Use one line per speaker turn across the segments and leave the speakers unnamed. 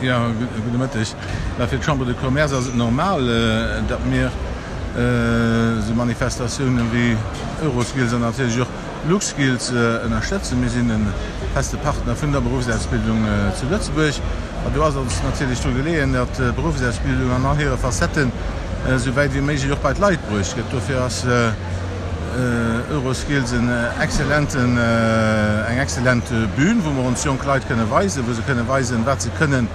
Jo, gudde Mëtteg. Mä fir d'Chambre de Commerce ass et normal, datt mir esou Manifestatiounen wéi Euroskills an natierlech och LuxSkills ënnerstëtzen. Mir sinn e feste Partner vun der Beruffsausbildung zu Lëtzebuerg. A do ass ons natierlech dru geleeën, datt d'Beruffsausbildung an all hire Facetten esou wäit wéi méiglech och bei d'Leit bruecht gëtt. Dofir ass Euroskills en excellenten, eng excellent Bühn, wou mer ons jonk Leit kënne weisen, wou se kënne weisen, wat se kënnen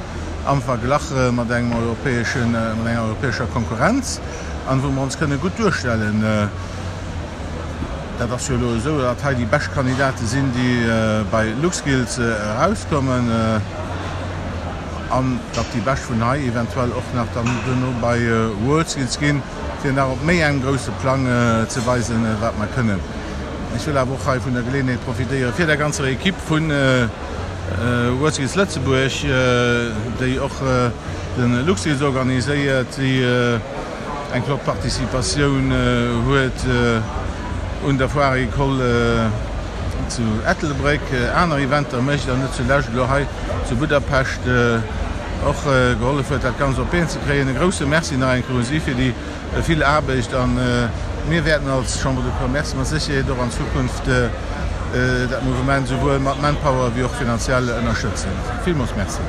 am Verglach mat engem europäeschen, mat enger europäescher Konkurrenz an wou mer ons kënne gutt duerstellen. Dat ass jo elo esou, datt hei déi bescht Kandidate sinn, déi bei LuxSkills erauskommen an datt déi bescht vun hei eventuell och nach dann duerno bei WorldSkills ginn. fir nach op méi engem grousse Plang ze weisen, wat mer kënnen. Ech wëll awer och hei vun der Geleeënheet profitéieren, fir der ganzer Equipe vu WorldSkills Lëtzebuerg, déi och de LuxSkills organiséiert, déi eng flott Participatioun huet un der Foire Agricole zu Ettelbréck, aner Eventer mécht an net zulescht elo hei zu Budapest och gehollef huet, dat Ganzt op d'Been ze kréien. E grousse Merci nach eng Kéier u si fir déi vill Aarbecht. A mir wäerten als Chambre de Commerce mat Sécherheet och an Zukunft dat Mouvement esouwuel mat Manpower wéi och finanziell ënnerstëtzen. Villmools Merci.